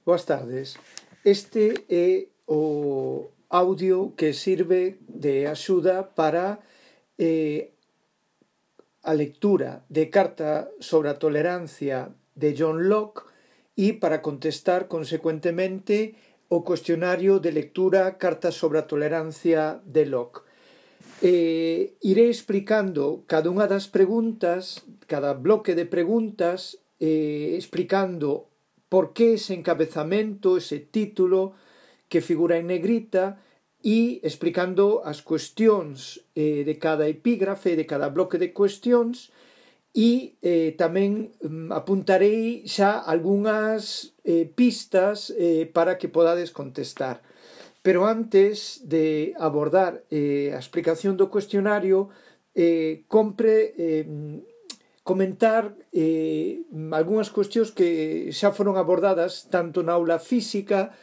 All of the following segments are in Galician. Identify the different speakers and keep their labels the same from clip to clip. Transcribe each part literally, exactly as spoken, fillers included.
Speaker 1: Boas tardes. Este é o audio que sirve de axuda para eh, a lectura de Carta sobre a Tolerancia de John Locke e para contestar consecuentemente o cuestionario de lectura Carta sobre a Tolerancia de Locke. Eh, iré explicando cada unha das preguntas, cada bloque de preguntas, eh, explicando por que ese encabezamento, ese título que figura en negrita e explicando as cuestións eh, de cada epígrafe, de cada bloque de cuestións e eh, tamén mm, apuntarei xa algunhas eh, pistas eh, para que podades contestar. Pero antes de abordar eh, a explicación do cuestionario, eh, compre eh, comentar eh, algunhas cuestións que xa foron abordadas tanto na aula física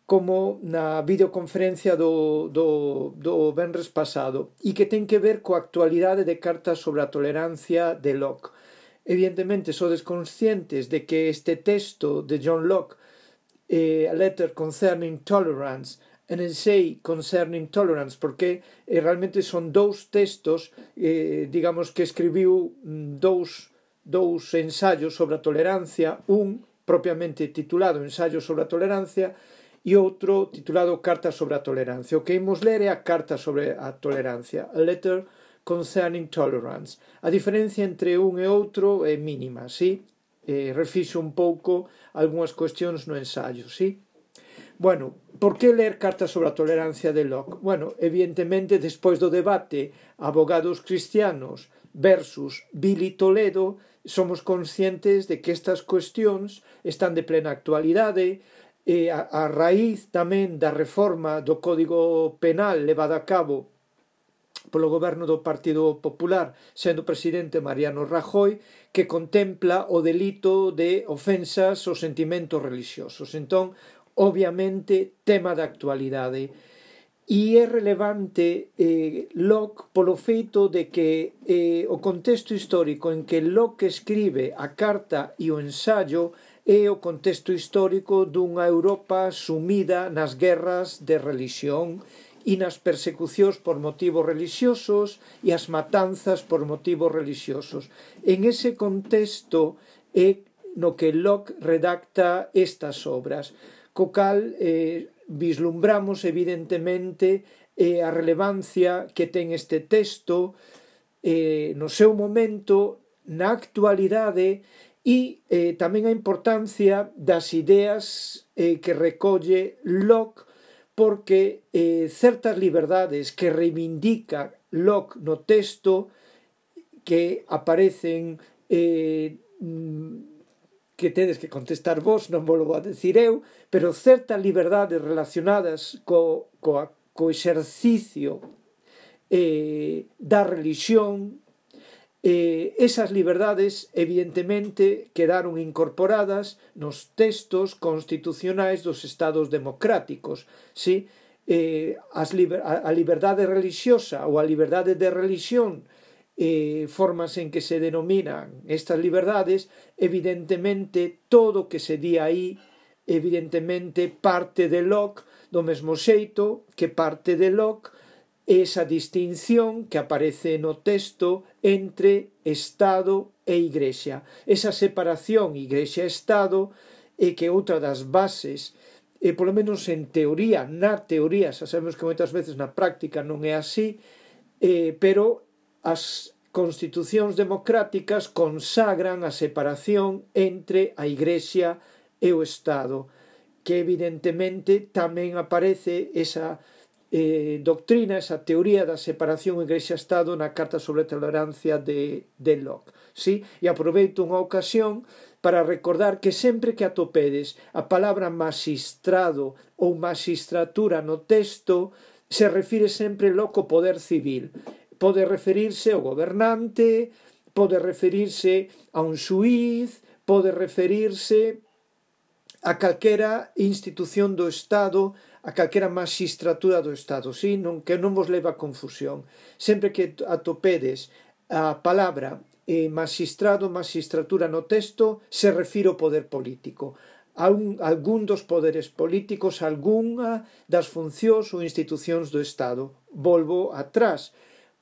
Speaker 1: como na videoconferencia do, do, do venres pasado e que ten que ver coa actualidade de Cartas sobre a Tolerancia de Locke. Evidentemente, sodes conscientes de que este texto de John Locke, eh, A Letter Concerning Tolerance, an essay concerning tolerance, porque eh, realmente son dous textos, eh, digamos que escribiu dous, dous ensaios sobre a tolerancia, un propiamente titulado Ensayo sobre a Tolerancia e outro titulado Carta sobre a Tolerancia. O que imos ler é a Carta sobre a Tolerancia, A Letter Concerning Tolerance. A diferencia entre un e outro é mínima, sí? Eh, refixo un pouco algunhas cuestións no ensaio, sí? Bueno, por que ler Carta sobre a Tolerancia de Locke? Bueno, evidentemente, despois do debate abogados cristianos versus Billy Toledo, somos conscientes de que estas cuestións están de plena actualidade, e a, a raíz tamén da reforma do Código Penal levada a cabo polo goberno do Partido Popular, sendo presidente Mariano Rajoy, que contempla o delito de ofensas aos sentimentos religiosos. Entón, obviamente, tema da actualidade. E é relevante eh, Locke polo feito de que eh, o contexto histórico en que Locke escribe a carta e o ensayo é o contexto histórico dunha Europa sumida nas guerras de religión e nas persecucións por motivos religiosos e as matanzas por motivos religiosos. En ese contexto é no que Locke redacta estas obras, co cal eh, vislumbramos evidentemente eh, a relevancia que ten este texto eh, no seu momento, na actualidade e eh, tamén a importancia das ideas eh, que recolle Locke, porque eh, certas liberdades que reivindica Locke no texto que aparecen eh, que tedes que contestar vos, non vos lo vou a decir eu, pero certas liberdades relacionadas co, co, co exercicio eh, da religión, eh, esas liberdades evidentemente quedaron incorporadas nos textos constitucionais dos estados democráticos, sí? eh, as liber, a, a liberdade religiosa ou a liberdade de religión, Eh, formas en que se denominan estas liberdades, evidentemente todo o que se di aí evidentemente parte de Locke, do mesmo xeito que parte de Locke esa distinción que aparece no texto entre Estado e Igrexa, esa separación Igrexa-Estado, e que outra das bases, e polo menos en teoría, na teoría, xa sabemos que moitas veces na práctica non é así, eh, pero as constitucións democráticas consagran a separación entre a Igrexa e o Estado, que evidentemente tamén aparece esa eh, doctrina, esa teoría da separación Igrexa-Estado na Carta sobre a Tolerancia de, de Locke. Sí? E aproveito unha ocasión para recordar que sempre que atopedes a palabra magistrado ou magistratura no texto, se refire sempre Locke ao poder civil. Pode referirse ao gobernante, pode referirse a un xuíz, pode referirse a calquera institución do Estado, a calquera magistratura do Estado, sí? Non, que non vos leva a confusión. Sempre que atopedes a palabra eh, magistrado, magistratura no texto, se refire ao poder político. a un, algún dos poderes políticos, algunha das funcións ou institucións do Estado. Volvo atrás,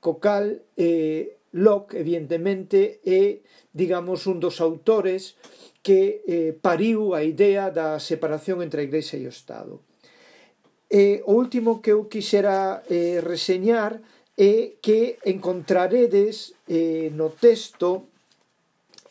Speaker 1: co cal eh, Locke, evidentemente, é, digamos, un dos autores que eh, pariu a idea da separación entre a Igrexa e o Estado. E o último que eu quixera eh, reseñar é que encontraredes eh, no texto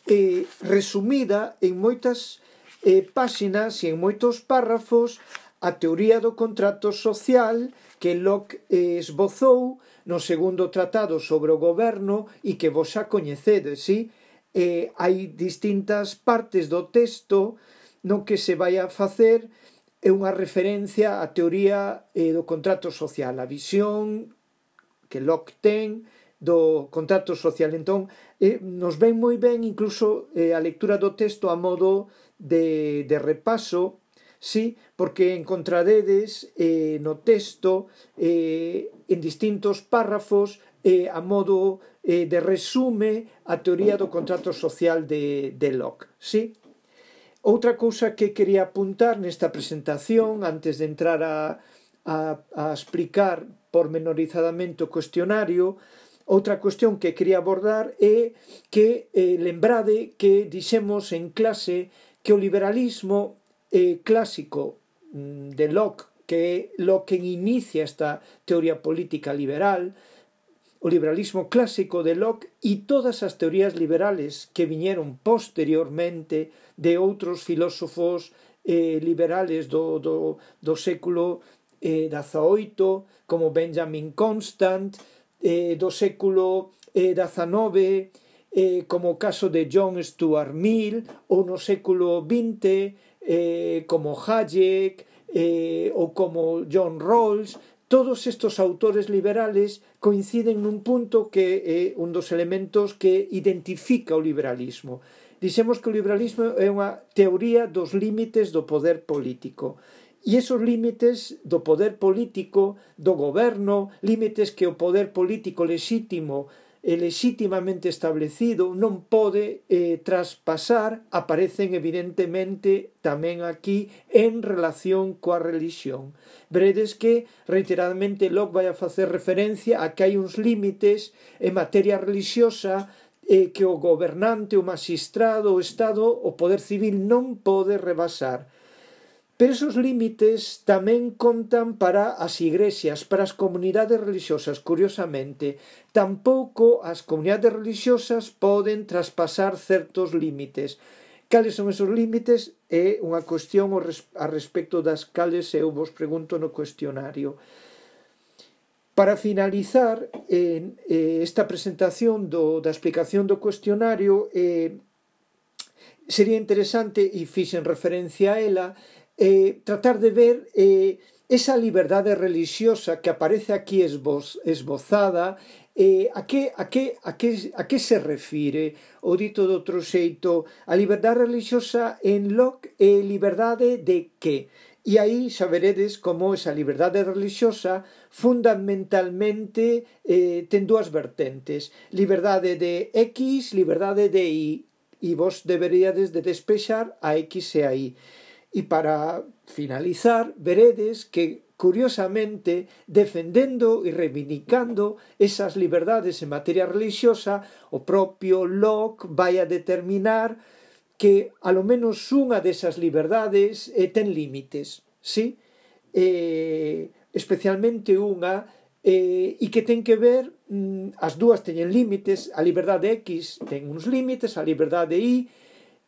Speaker 1: eh, resumida en moitas eh, páxinas e en moitos párrafos a teoría do contrato social que Locke eh, esbozou no segundo tratado sobre o goberno e que vos xa coñecedes, sí? Eh, hai distintas partes do texto no que se vai a facer é unha referencia á teoría eh, do contrato social, a visión que Locke ten do contrato social. Entón, eh, nos ven moi ben incluso eh, a lectura do texto a modo de, de repaso, sí, porque encontraredes eh, no texto eh, en distintos párrafos eh, a modo eh, de resume a teoría do contrato social de, de Locke, sí. Outra cousa que quería apuntar nesta presentación antes de entrar a, a, a explicar pormenorizadamente o cuestionario, outra cuestión que quería abordar é que eh, lembrade que dixemos en clase que o liberalismo eh, clásico de Locke, que é Locke quen inicia esta teoría política liberal, o liberalismo clásico de Locke e todas as teorías liberales que viñeron posteriormente de outros filósofos eh, liberales do, do, do século eh, dezaoito, como Benjamin Constant, eh, do século eh, dezenove, eh, como o caso de John Stuart Mill, ou no século vinte, eh, como Hayek, eh, ou como John Rawls. Todos estes autores liberales coinciden nun punto que é un dos elementos que identifica o liberalismo. Dixemos que o liberalismo é unha teoría dos límites do poder político. E esos límites do poder político, do goberno, límites que o poder político lexítimo e lexitimamente establecido non pode eh, traspasar, aparecen evidentemente tamén aquí en relación coa religión. Veredes que reiteradamente Locke vai a facer referencia a que hai uns límites en materia religiosa eh, que o gobernante, o magistrado, o Estado, o poder civil non pode rebasar. Pero esos límites tamén contan para as igrexas, para as comunidades religiosas, curiosamente. Tampouco as comunidades religiosas poden traspasar certos límites. Cales son esos límites? É unha cuestión a respecto das cales eu vos pregunto no cuestionario. Para finalizar eh, esta presentación do, da explicación do cuestionario, eh, sería interesante, e fixen referencia a ela, Eh, tratar de ver eh, esa liberdade religiosa que aparece aquí esboz, esbozada, eh, a, que, a, que, a, que, a que se refire? O dito de outro xeito, a liberdade religiosa en Locke é liberdade de que? E aí saberedes como esa liberdade religiosa fundamentalmente eh, ten dúas vertentes, liberdade de X, liberdade de Y, e vos deberíades de despexar a X e a Y. E para finalizar, veredes que, curiosamente, defendendo e reivindicando esas liberdades en materia religiosa, o propio Locke vai a determinar que, alo menos, unha desas liberdades eh, ten límites, sí? Eh, especialmente unha, eh, e que ten que ver, mm, as dúas teñen límites, a liberdade X ten uns límites, a liberdade Y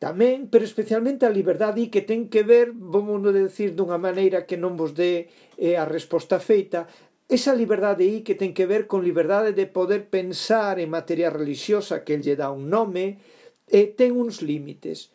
Speaker 1: tamén, pero especialmente a liberdade que ten que ver, vamos decir dunha maneira que non vos dé eh, a resposta feita, esa liberdade aí que ten que ver con liberdade de poder pensar en materia religiosa, que el lle dá un nome, eh, ten uns límites.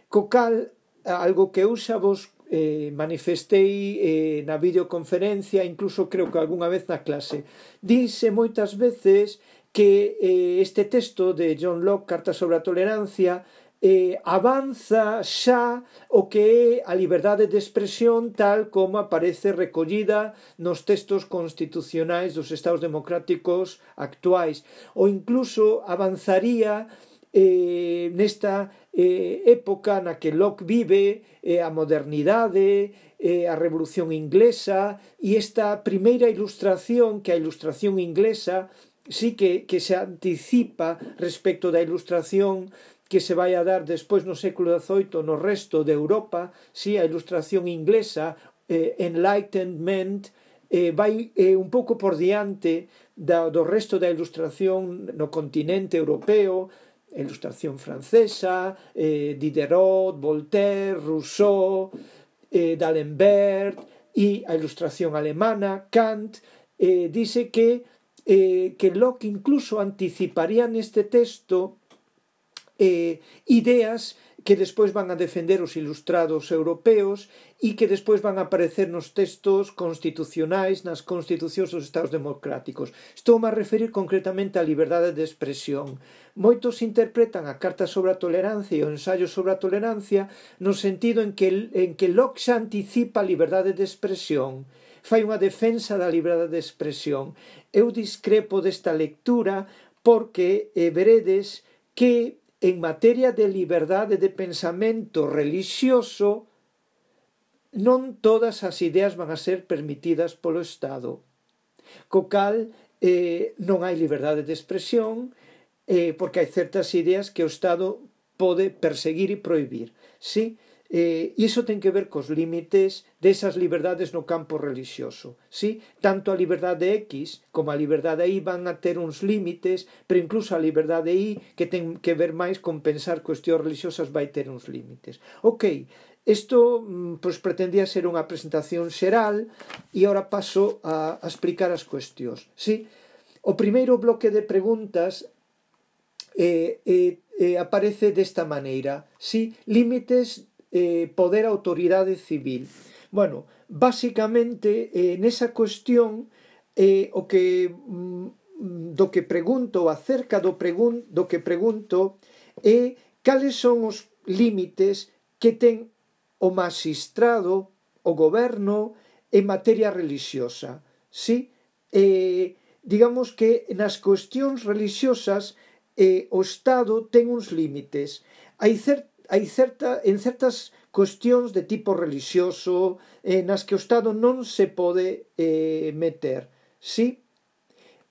Speaker 1: Co cal, algo que eu xa vos eh, manifestei eh, na videoconferencia, incluso creo que algunha vez na clase, dice moitas veces que eh, este texto de John Locke, Carta sobre a Tolerancia, Eh, avanza xa o que é a liberdade de expresión tal como aparece recollida nos textos constitucionais dos estados democráticos actuais, ou incluso avanzaría eh, nesta eh, época na que Locke vive, eh, a modernidade, eh, a Revolución Inglesa, e esta primeira ilustración, que a ilustración inglesa sí que, que se anticipa respecto da ilustración que se vai a dar despois no século dezoito no resto de Europa, sí, a ilustración inglesa, eh, Enlightenment, eh, vai eh, un pouco por diante da, do resto da ilustración no continente europeo, a ilustración francesa, eh, Diderot, Voltaire, Rousseau, eh, D'Alembert, e a ilustración alemana, Kant, eh, dice que, eh, que Locke incluso anticiparía neste texto eh, ideas que despois van a defender os ilustrados europeos e que despois van a aparecer nos textos constitucionais, nas constitucións dos estados democráticos. Estou a referir concretamente á liberdade de expresión. Moitos interpretan a Carta sobre a Tolerancia e o Ensaio sobre a Tolerancia no sentido en que, en que Locke xa anticipa a liberdade de expresión, fai unha defensa da liberdade de expresión. Eu discrepo desta lectura porque eh, veredes que en materia de liberdade de pensamento religioso non todas as ideas van a ser permitidas polo Estado. Co cal eh, non hai liberdade de expresión eh, porque hai certas ideas que o Estado pode perseguir e prohibir. Sí? Eh, e iso ten que ver cos límites desas liberdades no campo religioso. Sí? Tanto a liberdade X como a liberdade Y van a ter uns límites, pero incluso a liberdade Y, que ten que ver máis con pensar cuestións religiosas, vai ter uns límites. Ok, isto pues, pretendía ser unha presentación xeral e agora paso a, a explicar as cuestións. Sí? O primeiro bloque de preguntas eh, eh, eh, aparece desta maneira. Sí? Límites Eh, poder autoridade civil. Bueno, basicamente eh, nesa cuestión eh, o que mm, do que pregunto acerca do, pregun do que pregunto é cales son os límites que ten o magistrado, o goberno en materia religiosa. Sí? Eh, digamos que nas cuestións religiosas eh, o Estado ten uns límites. Hai certas hai certa, en certas cuestións de tipo religioso eh, nas que o Estado non se pode eh, meter. Sí?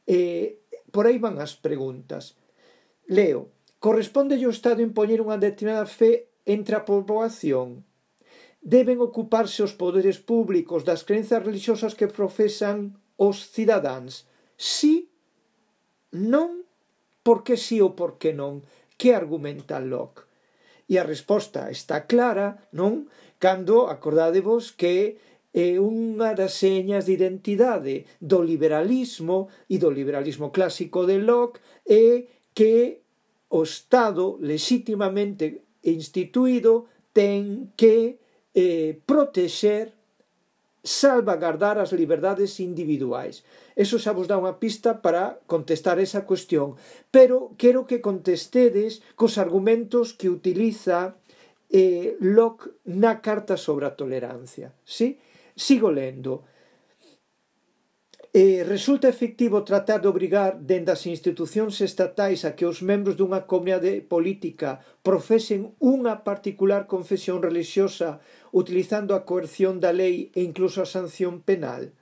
Speaker 1: Eh, por aí van as preguntas. Leo. Corresponde ao Estado impoñer unha determinada fe entre a poboación? Deben ocuparse os poderes públicos das crenzas religiosas que profesan os cidadáns? Sí? Non? Por que sí ou por que non? Que argumenta Locke? E a resposta está clara, non? Cando acordádevos que é unha das señas de identidade do liberalismo e do liberalismo clásico de Locke é que o Estado legitimamente instituído ten que eh, protexer, salvagardar as liberdades individuais. Eso xa vos dá unha pista para contestar esa cuestión, pero quero que contestedes cos argumentos que utiliza eh, Locke na Carta sobre a Tolerancia. ¿Sí? Sigo lendo. Eh, resulta efectivo tratar de obrigar dende as institucións estatais a que os membros dunha comunidade política profesen unha particular confesión religiosa utilizando a coerción da lei e incluso a sanción penal?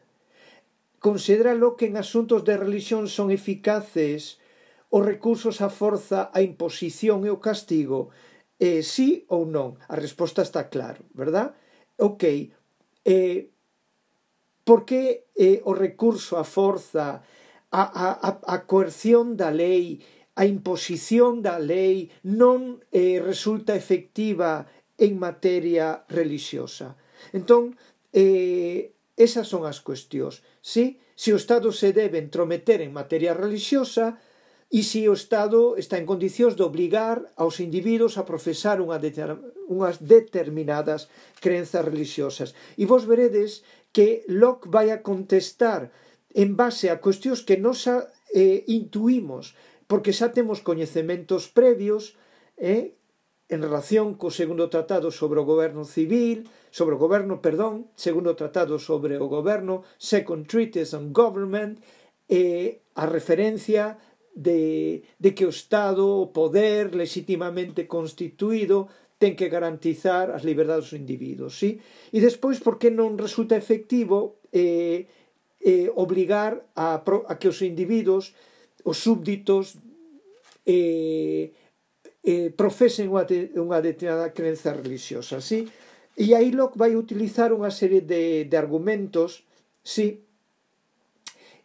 Speaker 1: Considéralo que en asuntos de religión son eficaces os recursos á forza, a imposición e o castigo? Eh, sí ou non? A resposta está claro, verdad? Ok. Eh, por que eh, o recurso á forza, a, a, a coerción da lei, a imposición da lei non eh, resulta efectiva en materia religiosa? Entón, eh, esas son as cuestións. Sí? Se o Estado se debe entrometer en materia religiosa e se o Estado está en condicións de obligar aos individuos a profesar unha deter, unhas determinadas crenzas religiosas. E vos veredes que Locke vai a contestar en base a cuestións que nos eh, intuimos, porque xa temos coñecementos previos eh, en relación co segundo tratado sobre o goberno civil, sobre o goberno, perdón, segundo tratado sobre o goberno, Second Treatise on Government, eh, a referencia de, de que o Estado, o poder legitimamente constituído, ten que garantizar as liberdades dos individuos, sí? E despois, por que non resulta efectivo eh, eh, obligar a, a que os individuos, os súbditos, eh, eh, profesen unha, de, unha determinada crenza religiosa, sí? E aí Locke vai utilizar unha serie de, de argumentos, sí,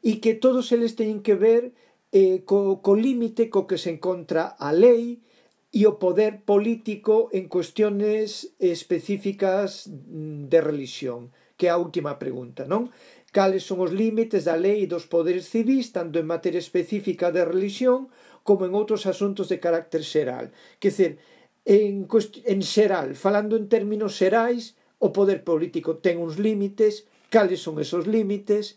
Speaker 1: e que todos eles teñen que ver eh, co, co límite co que se encontra a lei e o poder político en cuestiones específicas de religión, que é a última pregunta, non? Cales son os límites da lei e dos poderes civís, tanto en materia específica de religión como en outros asuntos de carácter xeral. Quer dizer, en, en xeral, falando en términos xerais, o poder político ten uns límites, cales son esos límites,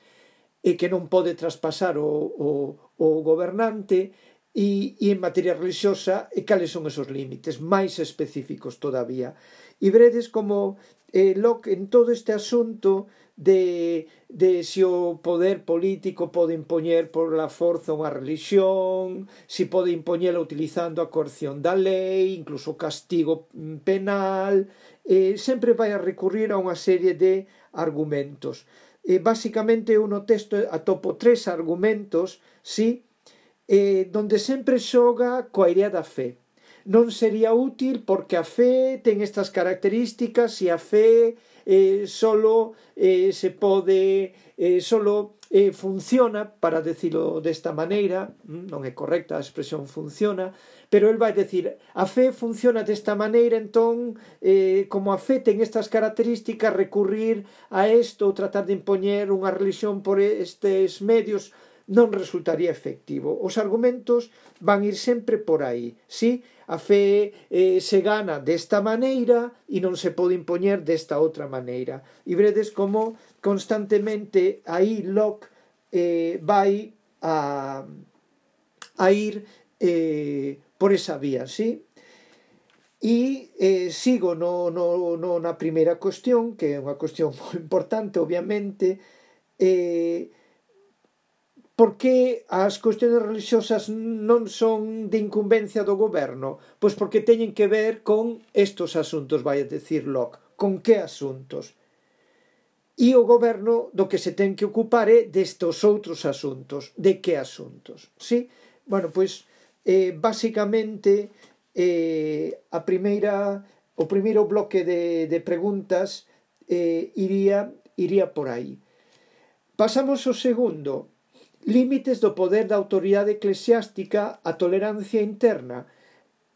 Speaker 1: e que non pode traspasar o, o, o gobernante, e, e en materia religiosa, e cales son esos límites máis específicos todavía. E veredes como eh, Locke en todo este asunto de, de se o poder político pode impoñer por la forza unha religión, se pode impoñela utilizando a coerción da lei, incluso o castigo penal, eh, sempre vai a recurrir a unha serie de argumentos. Eh, basicamente eu no texto atopo tres argumentos, sí, eh, donde sempre xoga coa idea da fe. Non sería útil porque a fe ten estas características e a fe eh, solo eh, se pode eh, solo eh, funciona, para decirlo desta maneira, non é correcta a expresión funciona, pero el vai decir, a fe funciona desta maneira, entón eh, como a fe ten estas características, recurrir a isto ou tratar de impoñer unha religión por estes medios non resultaría efectivo. Os argumentos van ir sempre por aí, sí? A fe eh, se gana desta maneira e non se pode impoñer desta outra maneira. E veredes como constantemente aí Locke eh, vai a, a ir eh, por esa vía, sí? E eh, sigo no, no, no, na primeira cuestión, que é unha cuestión moi importante, obviamente. eh, Por que as cuestións religiosas non son de incumbencia do goberno? Pois porque teñen que ver con estos asuntos, vai a decir Locke. Con que asuntos? E o goberno do que se ten que ocupar é destos outros asuntos. De que asuntos? Sí? Bueno, pois, eh, basicamente, eh, a primeira, o primeiro bloque de, de preguntas eh, iría, iría por aí. Pasamos ao segundo. Límites do poder da autoridade eclesiástica a tolerancia interna.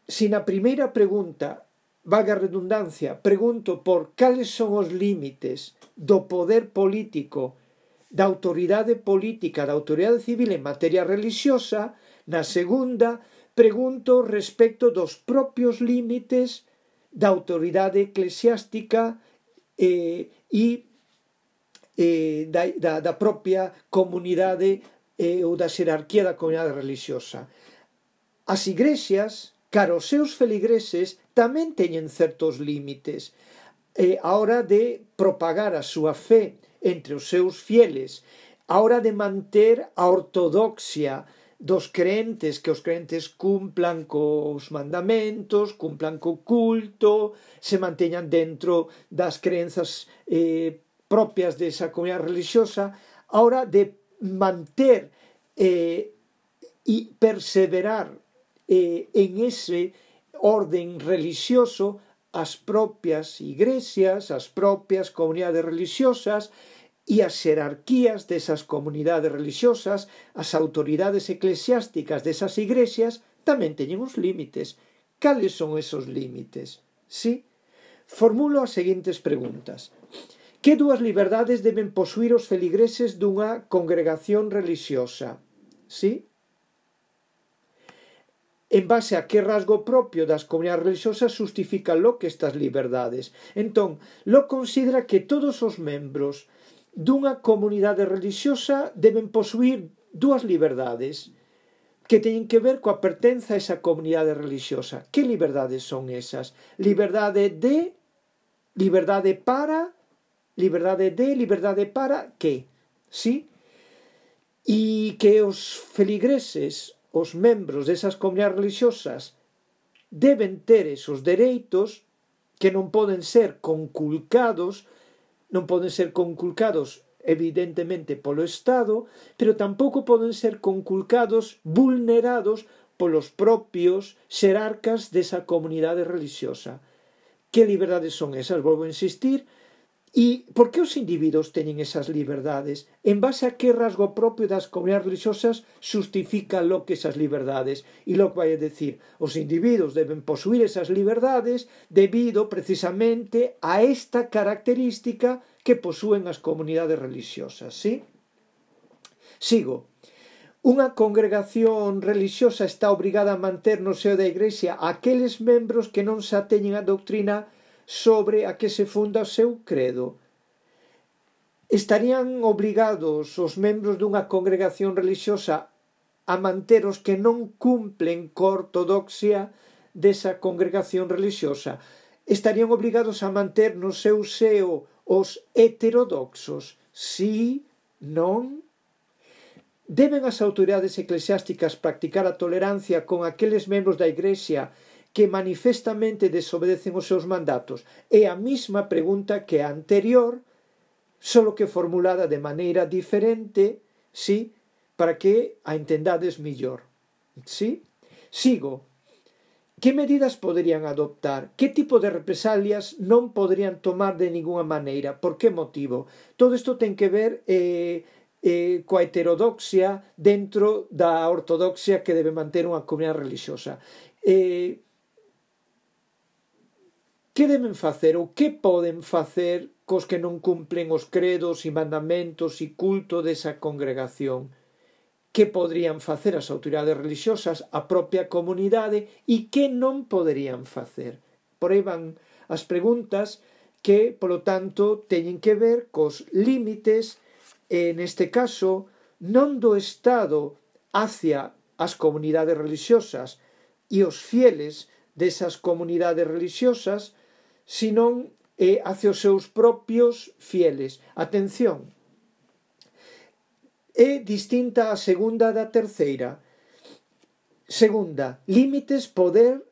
Speaker 1: Se na primeira pregunta, valga a redundancia, pregunto por cales son os límites do poder político, da autoridade política, da autoridade civil en materia religiosa, na segunda pregunto respecto dos propios límites da autoridade eclesiástica eh, e eh, da, da, da propia comunidade eh, ou da xerarquía da comunidade religiosa. As igrexas, cara os seus feligreses, tamén teñen certos límites eh, a hora de propagar a súa fe entre os seus fieles, a hora de manter a ortodoxia dos crentes, que os crentes cumplan cos mandamentos, cumplan co culto, se manteñan dentro das crenzas eh, propias desa comunidade religiosa, a hora de manter eh, e perseverar eh, en ese orden religioso as propias igrexas, as propias comunidades religiosas e as xerarquías desas comunidades religiosas, as autoridades eclesiásticas desas igrexas tamén teñen uns límites. Cales son esos límites? Sí? Formulo as seguintes preguntas. Que dúas liberdades deben posuir os feligreses dunha congregación religiosa? Sí? En base a que rasgo propio das comunidades religiosas justifica Locke estas liberdades? Entón, Locke considera que todos os membros dunha comunidade religiosa deben posuir dúas liberdades que teñen que ver coa pertenza a esa comunidade religiosa. Que liberdades son esas? Liberdade de, liberdade para, liberdade de, liberdade para que? Sí? E que os feligreses os membros desas comunidades religiosas deben ter esos dereitos que non poden ser conculcados, non poden ser conculcados evidentemente polo Estado, pero tampouco poden ser conculcados, vulnerados polos propios xerarcas desa comunidade religiosa. Que liberdades son esas? Volvo a insistir. E por que os individuos teñen esas liberdades? En base a que rasgo propio das comunidades religiosas justifica lo que esas liberdades? E lo que vai a decir, os individuos deben posuir esas liberdades debido precisamente a esta característica que posúen as comunidades religiosas, ¿sí? Sigo. Unha congregación religiosa está obrigada a manter no seo da Igrexa aqueles membros que non se ateñen a doutrina sobre a que se funda o seu credo. Estarían obrigados os membros dunha congregación religiosa a manter os que non cumplen coa ortodoxia desa congregación religiosa. Estarían obrigados a manter no seu seo os heterodoxos. Sí, non? Deben as autoridades eclesiásticas practicar a tolerancia con aqueles membros da Igrexa que manifestamente desobedecen os seus mandatos? É a mesma pregunta que a anterior, solo que formulada de maneira diferente, sí, para que a entendades millor. Sí? Sigo. Que medidas poderían adoptar? Que tipo de represalias non poderían tomar de ninguna maneira? Por que motivo? Todo isto ten que ver eh, eh, coa heterodoxia dentro da ortodoxia que debe manter unha comunidade religiosa. Eh, Que deben facer ou que poden facer cos que non cumplen os credos e mandamentos e culto desa congregación? Que poderían facer as autoridades religiosas, a propia comunidade, e que non poderían facer? Por aí van as preguntas que, polo tanto, teñen que ver cos límites, en este caso, non do Estado hacia as comunidades religiosas e os fieles desas comunidades religiosas, senón eh, hacia os seus propios fieles. Atención, é distinta a segunda da terceira. Segunda, límites, poder,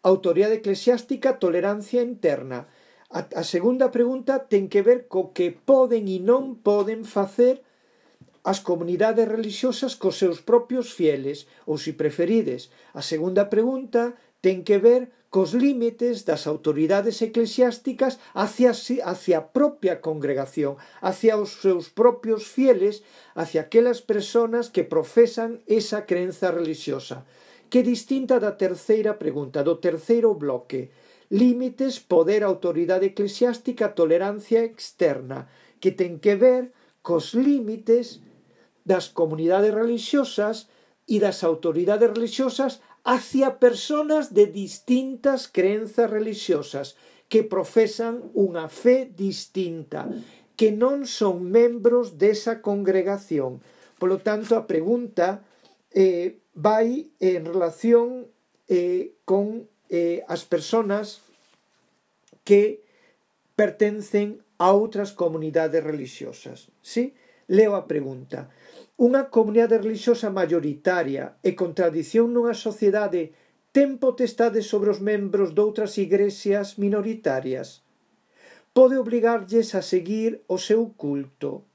Speaker 1: autoridade eclesiástica, tolerancia interna. A, a segunda pregunta ten que ver co que poden e non poden facer as comunidades religiosas cos seus propios fieles, ou, se preferides, a segunda pregunta ten que ver cos límites das autoridades eclesiásticas hacia, hacia a propia congregación, hacia os seus propios fieles, hacia aquelas personas que profesan esa creenza religiosa. Que distinta da terceira pregunta, do terceiro bloque. Límites, poder, autoridade eclesiástica, tolerancia externa, que ten que ver cos límites das comunidades religiosas e das autoridades religiosas hacia personas de distintas crenzas religiosas que profesan unha fe distinta, que non son membros desa congregación. Polo tanto, a pregunta eh, vai en relación eh, con eh, as personas que pertencen a outras comunidades religiosas. ¿Sí? Leo a pregunta. Unha comunidade religiosa maioritaria e con tradición nunha sociedade ten potestade sobre os membros doutras igrexas minoritarias? Pode obrigarlles a seguir o seu culto?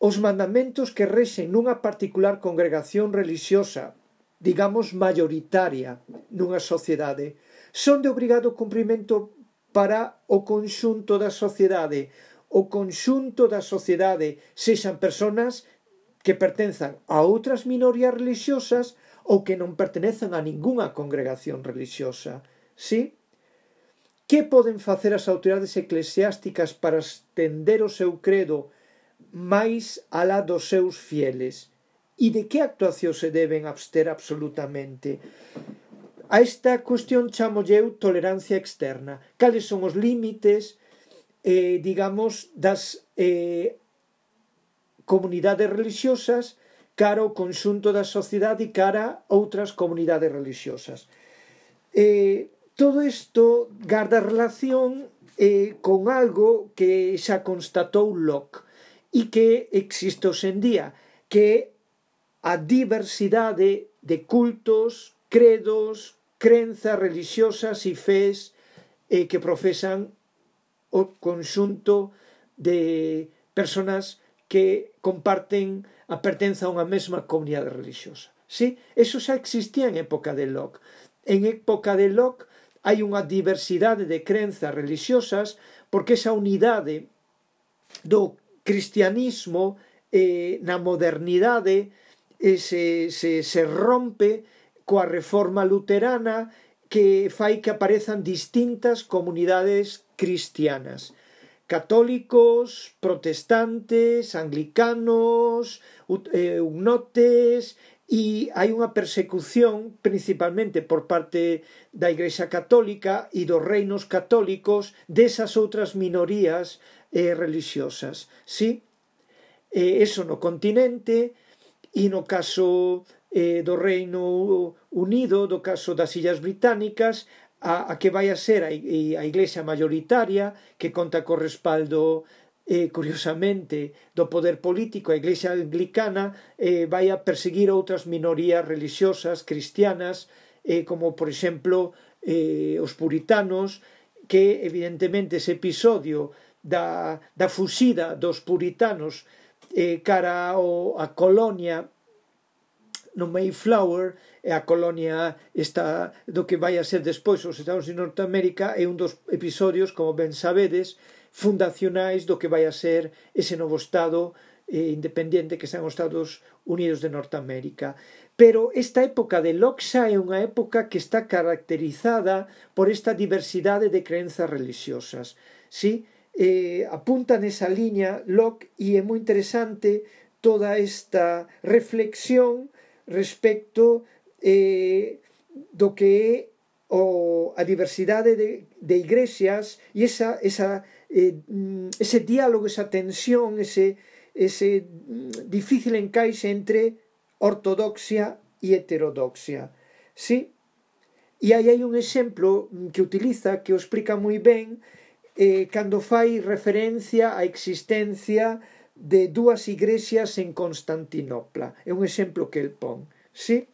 Speaker 1: Os mandamentos que rexen nunha particular congregación religiosa, digamos maioritaria nunha sociedade, son de obrigado cumprimento para o conxunto da sociedade. O conxunto da sociedade sexan persoas que pertenzan a outras minorías religiosas ou que non pertenezan a ningunha congregación religiosa. Sí? Que poden facer as autoridades eclesiásticas para estender o seu credo máis alá dos seus fieles? E de que actuacións se deben abster absolutamente? A esta cuestión chamolle eu tolerancia externa. Cales son os límites Eh, digamos, das eh, comunidades religiosas cara ao conxunto da sociedade e cara a outras comunidades religiosas. Eh, todo isto garda relación eh, con algo que xa constatou Locke e que existe hoxe en día, que a diversidade de cultos, credos, crenzas religiosas e fés eh, que profesan o conxunto de personas que comparten a pertenza a unha mesma comunidade religiosa. Sí? Eso xa existía en época de Locke. En época de Locke hai unha diversidade de crenzas religiosas porque esa unidade do cristianismo eh, na modernidade eh, se, se, se rompe coa reforma luterana que fai que aparezan distintas comunidades cristianas. Católicos, protestantes, anglicanos, hugnotes, e hai unha persecución principalmente por parte da Igrexa Católica e dos reinos católicos desas outras minorías eh, religiosas. Sí? Eh, eso no continente e no caso eh, do Reino Unido, do caso das Illas Británicas, a, a que vai a ser a, a Iglesia mayoritaria, que conta co respaldo eh, curiosamente do poder político. A Iglesia anglicana eh, vai a perseguir outras minorías religiosas cristianas, eh, como por exemplo eh, os puritanos, que evidentemente ese episodio da, da fuxida dos puritanos eh, cara ao, a colonia no Mayflower, e a colonia esta do que vai a ser despois os Estados Unidos de Norteamérica, é un dos episodios, como ben sabedes, fundacionais do que vai a ser ese novo Estado eh, independiente que están os Estados Unidos de Norteamérica. Pero esta época de Locke xa é unha época que está caracterizada por esta diversidade de crenzas religiosas. Sí? Eh, apunta nesa liña Locke, e é moi interesante toda esta reflexión respecto eh, do que é o, a diversidade de, de igrexas e esa, esa, eh, ese diálogo, esa tensión, ese, ese difícil encaixe entre ortodoxia e heterodoxia. Sí? E aí hai un exemplo que utiliza, que o explica moi ben, eh, cando fai referencia á existencia de dúas igrexas en Constantinopla. É un exemplo que el pon. Sí?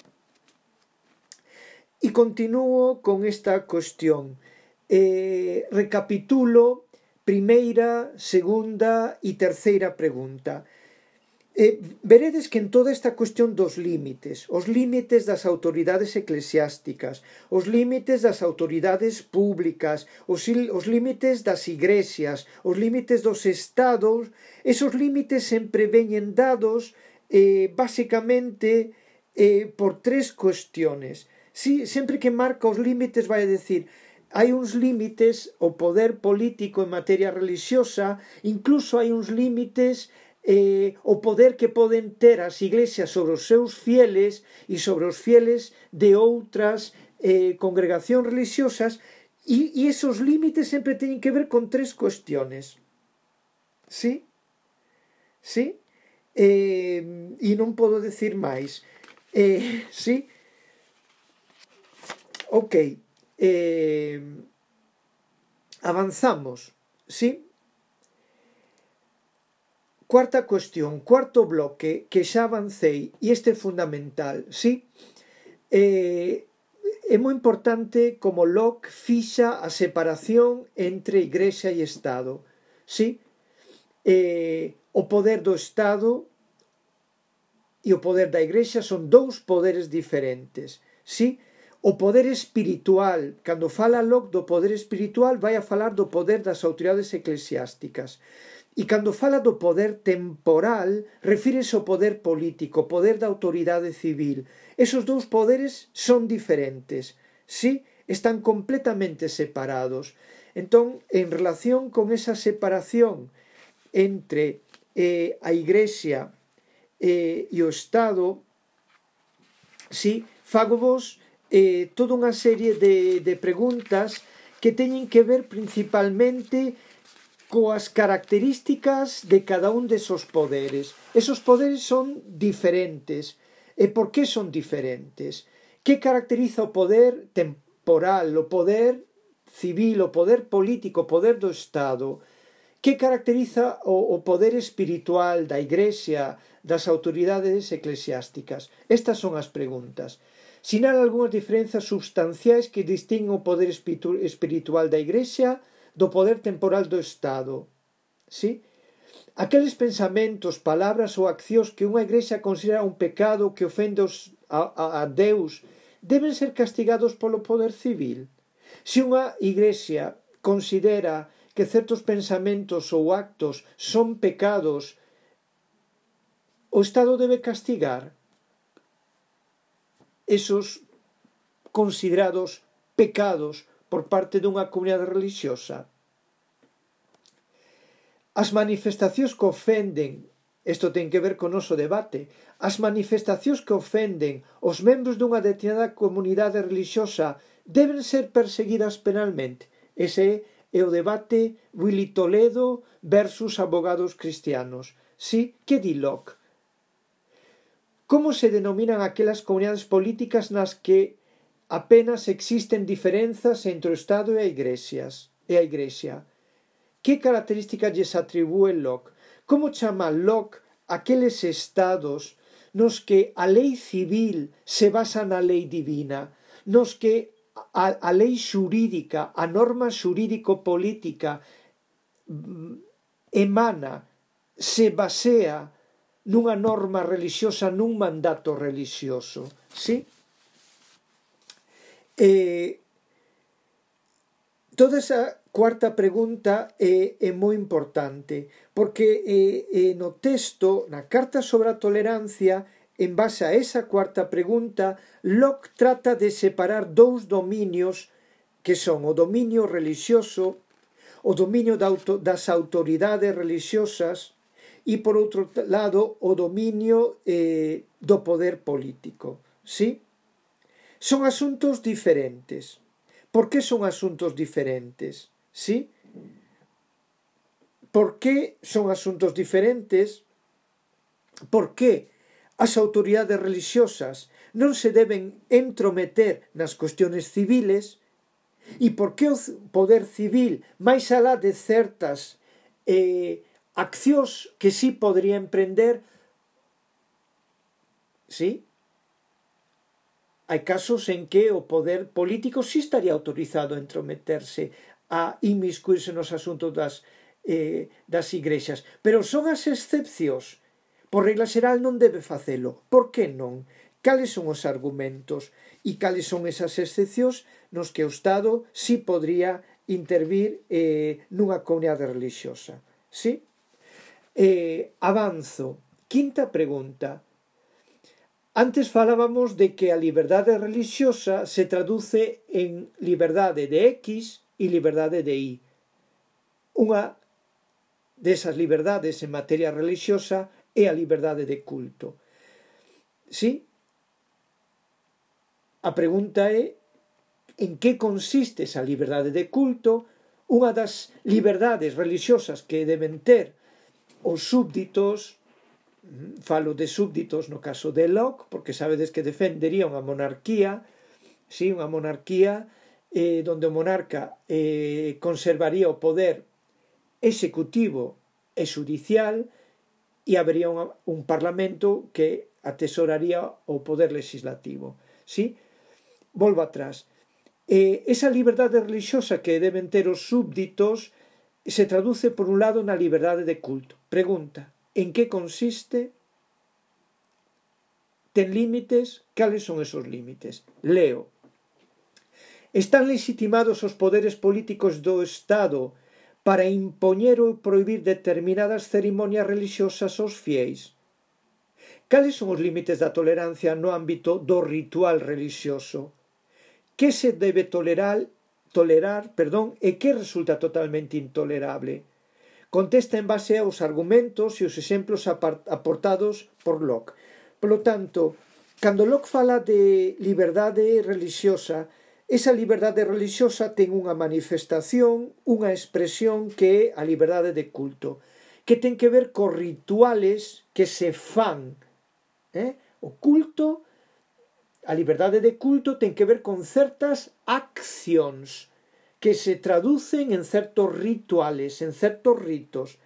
Speaker 1: E continuo con esta cuestión. Eh, recapitulo primeira, segunda e terceira pregunta. Eh, veredes que en toda esta cuestión dos límites, os límites das autoridades eclesiásticas, os límites das autoridades públicas, os, os límites das igrexas, os límites dos estados, esos límites sempre veñen dados eh, basicamente eh, por tres cuestiones. Sí, sempre que marca os límites vai a decir, hai uns límites, o poder político en materia religiosa, incluso hai uns límites Eh, o poder que poden ter as iglesias sobre os seus fieles e sobre os fieles de outras eh, congregacións religiosas, e, e esos límites sempre teñen que ver con tres cuestiones. Sí? Sí? Eh, e non podo decir máis. Eh, sí? Ok. Eh, avanzamos. Sí? Cuarta cuestión, cuarto bloque, que xa avancei, e este é fundamental, sí? Eh, é moi importante como Locke fixa a separación entre Igrexa e Estado, sí? Eh, o poder do Estado e o poder da Igrexa son dous poderes diferentes, sí? O poder espiritual, cando fala Locke do poder espiritual, vai a falar do poder das autoridades eclesiásticas. E cando fala do poder temporal, refírese ao poder político, o poder da autoridade civil. Esos dous poderes son diferentes, sí? Están completamente separados. Entón, en relación con esa separación entre eh, a Igrexa eh, e o Estado, sí, fagovos eh, toda unha serie de, de preguntas que teñen que ver principalmente coas características de cada un desos poderes. Esos poderes son diferentes. E por que son diferentes? Que caracteriza o poder temporal, o poder civil, o poder político, o poder do Estado? Que caracteriza o, o poder espiritual da Igrexa, das autoridades eclesiásticas? Estas son as preguntas. Sinala algunhas diferenzas substanciais que distinguen o poder espiritual da Igrexa do poder temporal do Estado. ¿Sí? Aqueles pensamentos, palabras ou accións que unha Igrexa considera un pecado que ofende a, a, a Deus deben ser castigados polo poder civil. Se unha Igrexa considera que certos pensamentos ou actos son pecados, o Estado debe castigar esos considerados pecados por parte dunha comunidade religiosa. As manifestacións que ofenden, isto ten que ver con o noso debate, as manifestacións que ofenden os membros dunha determinada comunidade religiosa deben ser perseguidas penalmente. Ese é o debate Willy Toledo versus abogados cristianos. Sí, que di Locke? Como se denominan aquelas comunidades políticas nas que apenas existen diferenzas entre o Estado e a Igrexas, e a Igrexa? Que características lles atribúe Locke? Como chama Locke aqueles estados nos que a lei civil se basa na lei divina, nos que A, a lei xurídica, a norma xurídico-política emana, se basea nunha norma religiosa, nun mandato religioso. Sí? Eh, toda esa cuarta pregunta é, é moi importante, porque eh, eh, no texto, na Carta sobre a Tolerancia, en base a esa cuarta pregunta, Locke trata de separar dous dominios que son o dominio religioso, o dominio das autoridades religiosas e, por outro lado, o dominio eh, do poder político. ¿Sí? Son asuntos diferentes. Por que son asuntos diferentes? ¿Sí? Por que son asuntos diferentes? Por que as autoridades religiosas non se deben entrometer nas cuestiones civiles e por que o poder civil, máis alá de certas eh, accións que sí podría emprender, sí? Hai casos en que o poder político sí estaría autorizado a entrometerse, a inmiscuirse nos asuntos das, eh, das igrexas, pero son as excepcións. Por regla xeral non debe facelo. Por que non? Cales son os argumentos e cales son esas excepcións nos que o Estado sí podría intervir eh, nunha comunidade religiosa? Sí? Eh, avanzo. Quinta pregunta. Antes falábamos de que a liberdade religiosa se traduce en liberdade de X e liberdade de Y. Unha desas liberdades en materia religiosa é a liberdade de culto. Sí? A pregunta é en que consiste esa liberdade de culto? Unha das liberdades religiosas que deben ter os súbditos, falo de súbditos no caso de Locke, porque sabedes que defendería unha monarquía, sí, unha monarquía eh, donde o monarca eh, conservaría o poder executivo e xudicial, e habería un, un parlamento que atesoraría o poder legislativo. ¿Sí? Volvo atrás. Eh, esa liberdade religiosa que deben ter os súbditos se traduce, por un lado, na liberdade de culto. Pregunta, en que consiste? Ten límites? Cales son esos límites? Leo. Están legitimados os poderes políticos do Estado para impoñer ou prohibir determinadas cerimonias religiosas aos fiéis. Cales son os límites da tolerancia no ámbito do ritual religioso? Que se debe tolerar, tolerar perdón, e que resulta totalmente intolerable? Contesta en base aos argumentos e os exemplos aportados por Locke. Por lo tanto, cando Locke fala de liberdade religiosa, esa liberdade religiosa ten unha manifestación, unha expresión que é a liberdade de culto, que ten que ver cos rituales que se fan. Eh? O culto, a liberdade de culto ten que ver con certas accións que se traducen en certos rituales, en certos ritos.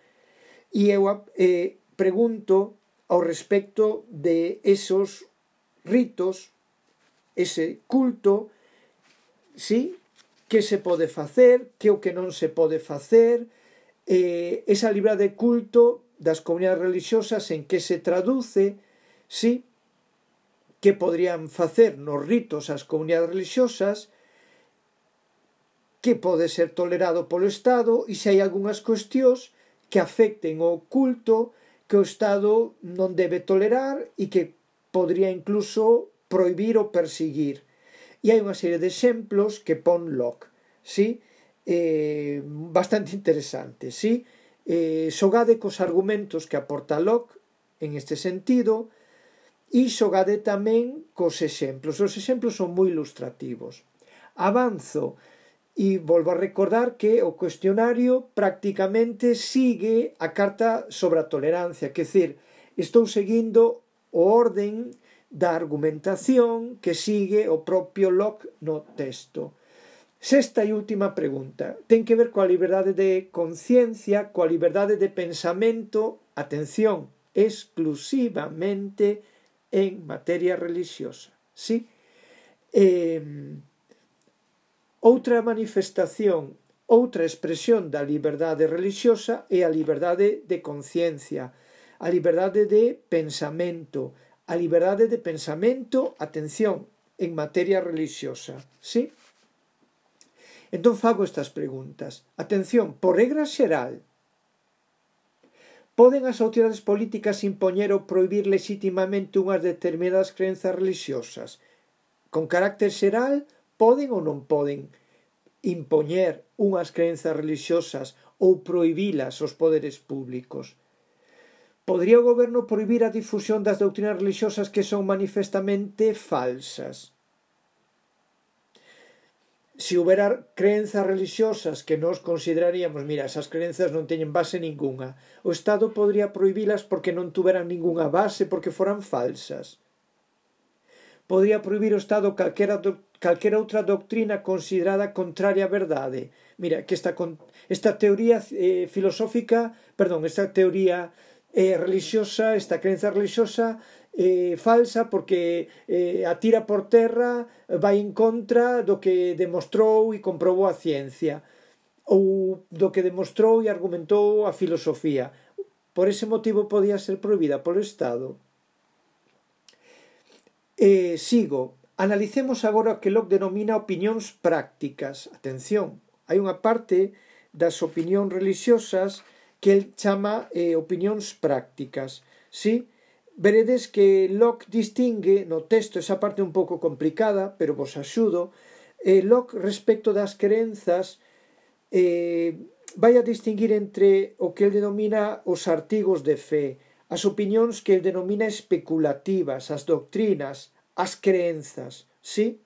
Speaker 1: E eu eh, pregunto ao respecto de esos ritos, ese culto, sí, que se pode facer, que o que non se pode facer, eh, esa liberdade de culto das comunidades religiosas en que se traduce, sí, que podrían facer nos ritos as comunidades religiosas, que pode ser tolerado polo Estado e se hai algunhas cuestións que afecten o culto que o Estado non debe tolerar e que podría incluso prohibir ou perseguir. E hai unha serie de exemplos que pon Locke, sí? Eh, bastante interesantes, sí? Eh, xogade cos argumentos que aporta Locke en este sentido e xogade tamén cos exemplos. Os exemplos son moi ilustrativos. Avanzo e volvo a recordar que o cuestionario prácticamente sigue a carta sobre a tolerancia, que decir, estou seguindo o orden da argumentación que sigue o propio Locke no texto. Sexta e última pregunta. Ten que ver coa liberdade de conciencia, coa liberdade de pensamento, atención, exclusivamente en materia religiosa. Sí? Eh, outra manifestación, outra expresión da liberdade religiosa é a liberdade de conciencia, a liberdade de pensamento, a liberdade de pensamento, atención, en materia religiosa. Sí? Entón fago estas preguntas. Atención, por regra xeral, poden as autoridades políticas impoñer ou prohibir legitimamente unhas determinadas crenzas religiosas? Con carácter xeral, poden ou non poden impoñer unhas crenzas religiosas ou prohibilas aos poderes públicos? Podría o goberno prohibir a difusión das doutrinas religiosas que son manifestamente falsas? Se houbera crenzas religiosas que nós consideraríamos, mira, esas crenzas non teñen base ninguna, o Estado podría prohibilas porque non tuveran ninguna base, porque foran falsas. Podría prohibir o Estado calquera, calquera outra doctrina considerada contraria á verdade. Mira, que esta, esta teoría eh, filosófica, perdón, esta teoría eh, religiosa, esta crenza religiosa eh, falsa porque eh, atira por terra, vai en contra do que demostrou e comprobou a ciencia ou do que demostrou e argumentou a filosofía. Por ese motivo podía ser prohibida polo Estado. Eh, sigo. Analicemos agora o que Locke denomina opinións prácticas. Atención, hai unha parte das opinións religiosas que el chama eh, opinións prácticas. Sí? Veredes que Locke distingue no texto esa parte un pouco complicada, pero vos axudo. Eh, Locke, respecto das crenzas, eh, vai a distinguir entre o que el denomina os artigos de fe, as opinións que el denomina especulativas, as doctrinas, as crenzas, sí?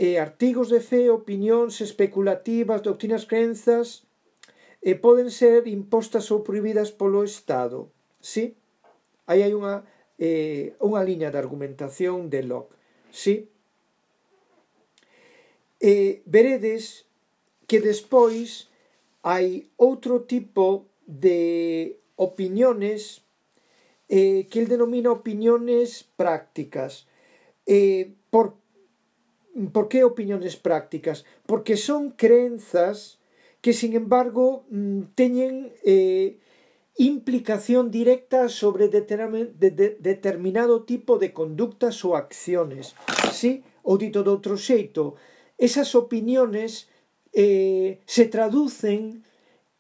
Speaker 1: Eh, artigos de fe, opinións especulativas, doctrinas, crenzas, eh, poden ser impostas ou prohibidas polo Estado, sí? Aí hai unha, eh, unha liña de argumentación de Locke, sí? Eh, veredes que despois hai outro tipo de opiniones eh, que el denomina opiniones prácticas. Eh, por, por que opiniones prácticas? Porque son crenzas que, sin embargo, teñen eh, implicación directa sobre determinado tipo de conductas ou acciones. Sí? Ou dito de outro xeito, esas opiniones eh, se traducen,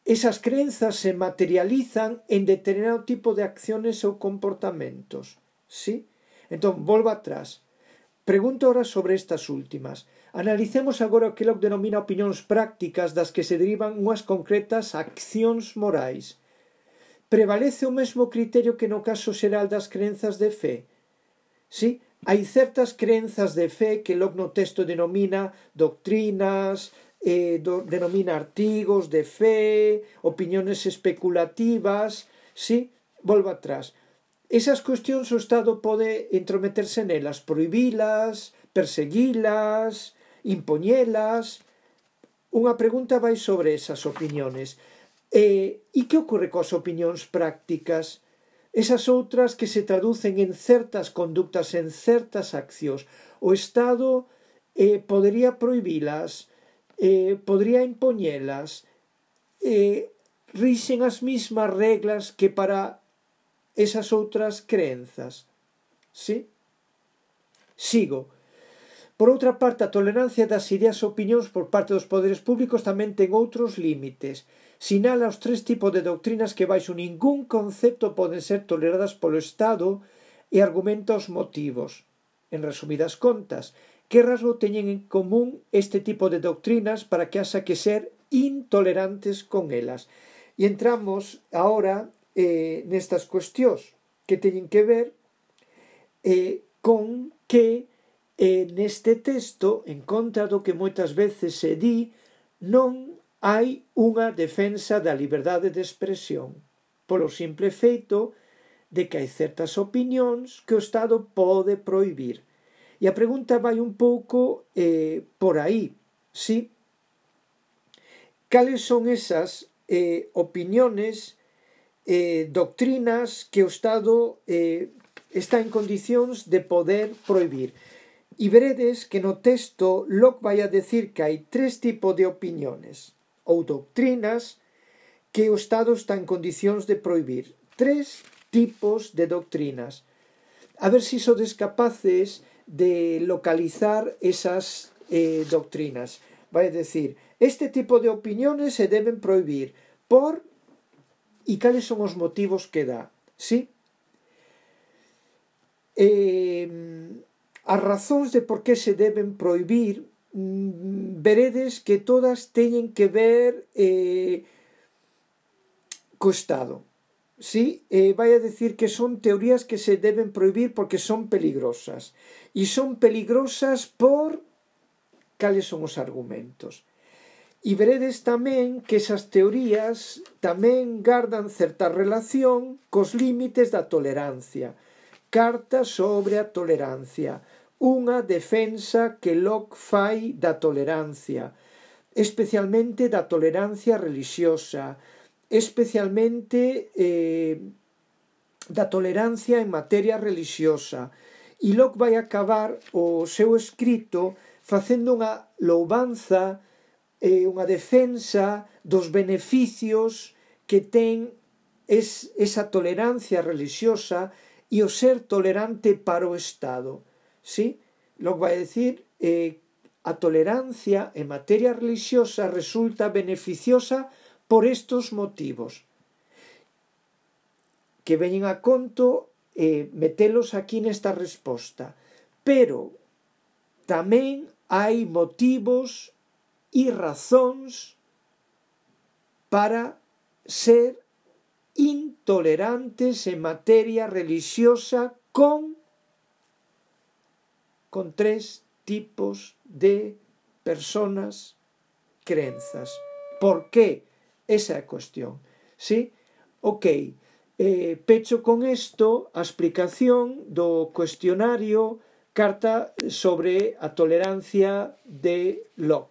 Speaker 1: esas crenzas se materializan en determinado tipo de acciones ou comportamentos. Sí? Entón, volvo atrás. Pregunto ahora sobre estas últimas. Analicemos agora o que Locke denomina opinións prácticas das que se derivan unhas concretas accións morais. Prevalece o mesmo criterio que no caso xeral das crenzas de fe? Sí? Hai certas crenzas de fe que Locke no texto denomina doctrinas, eh, do, denomina artigos de fe, opiniones especulativas, sí? Volvo atrás. Esas cuestións o Estado pode entrometerse nelas, prohibilas, perseguilas, impoñelas, unha pregunta vai sobre esas opinións. E, e que ocorre coas opinións prácticas? Esas outras que se traducen en certas conductas, en certas accións. O Estado eh, podería prohibilas, eh, podría impoñelas, eh, rixen as mismas reglas que para esas outras crenzas. Sí? Sigo. Por outra parte, a tolerancia das ideas e opinións por parte dos poderes públicos tamén ten outros límites. Sinala os tres tipos de doctrinas que baixo ningún concepto poden ser toleradas polo Estado e argumenta os motivos. En resumidas contas, que rasgo teñen en común este tipo de doctrinas para que haxa que ser intolerantes con elas? E entramos agora eh, nestas cuestións que teñen que ver eh, con que eh, neste texto, en contra do que moitas veces se di, non hai unha defensa da liberdade de expresión, polo simple feito de que hai certas opinións que o Estado pode prohibir. E a pregunta vai un pouco eh, por aí, sí? Cales son esas eh, opinións, eh, doctrinas que o Estado eh, está en condicións de poder prohibir? E veredes que no texto Locke vai a decir que hai tres tipos de opinións ou doctrinas que o Estado está en condicións de prohibir. Tres tipos de doctrinas. A ver se sodes capaces de localizar esas eh, doctrinas. Vai a decir, este tipo de opinións se deben prohibir por... E cales son os motivos que dá? Sí? Eh, as razóns de por que se deben prohibir veredes que todas teñen que ver eh, co Estado. Sí? Eh, vai a decir que son teorías que se deben prohibir porque son peligrosas. E son peligrosas por... Cales son os argumentos? E veredes tamén que esas teorías tamén gardan certa relación cos límites da tolerancia. Carta sobre a tolerancia. Unha defensa que Locke fai da tolerancia, especialmente da tolerancia religiosa, especialmente eh, da tolerancia en materia religiosa. E Locke vai acabar o seu escrito facendo unha louvanza, eh, unha defensa dos beneficios que ten es, esa tolerancia religiosa e o ser tolerante para o Estado. ¿Sí? Locke vai decir eh, a tolerancia en materia religiosa resulta beneficiosa por estos motivos que veñen a conto eh, metelos aquí nesta resposta, pero tamén hai motivos e razóns para ser intolerantes en materia religiosa con con tres tipos de personas crenzas. Por qué? Esa é a cuestión. ¿Sí? Ok. Eh, pecho con isto a explicación do cuestionario Carta sobre a tolerancia de Locke.